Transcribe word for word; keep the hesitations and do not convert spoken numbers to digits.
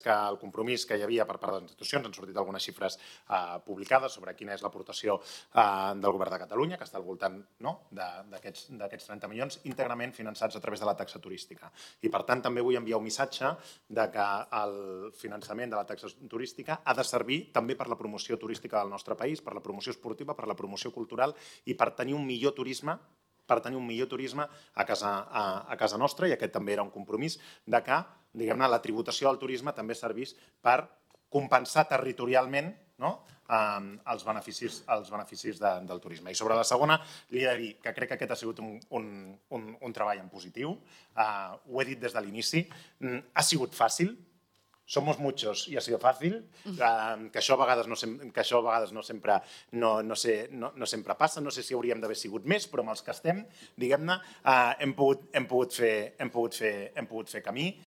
que el compromís que hi havia per part de les institucions, han sortit algunes xifres eh, publicades sobre quina és l'aportació eh, del govern de Catalunya, que està al voltant no, d'aquests trenta milions, íntegrament finançats a través de la taxa turística. I, per tant, també vull enviar un missatge de que el finançament de la taxa turística ha de servir també per la promoció turística del nostre país, per la promoció esportiva, per la promoció cultural i per tenir un millor turisme per tenir un millor turisme a casa, a, a casa nostra, i aquest també era un compromís de que, diguem-ne, la tributació del turisme també servís per compensar territorialment no? eh, els beneficis, els beneficis de, del turisme. I sobre la segona, li he de dir que crec que aquest ha sigut un, un, un, un treball en positiu. Eh, ho he dit des de l'inici. Mm, ha sigut fàcil. Somos muchos i ha sido fàcil, que això a vegades no, que això a vegades no, sempre, no, no, sé, no, no sempre passa, no sé si hauríem d'haver sigut més, però amb els que estem, diguem-ne, hem, pogut, hem, pogut fer, hem, pogut fer, hem pogut fer camí.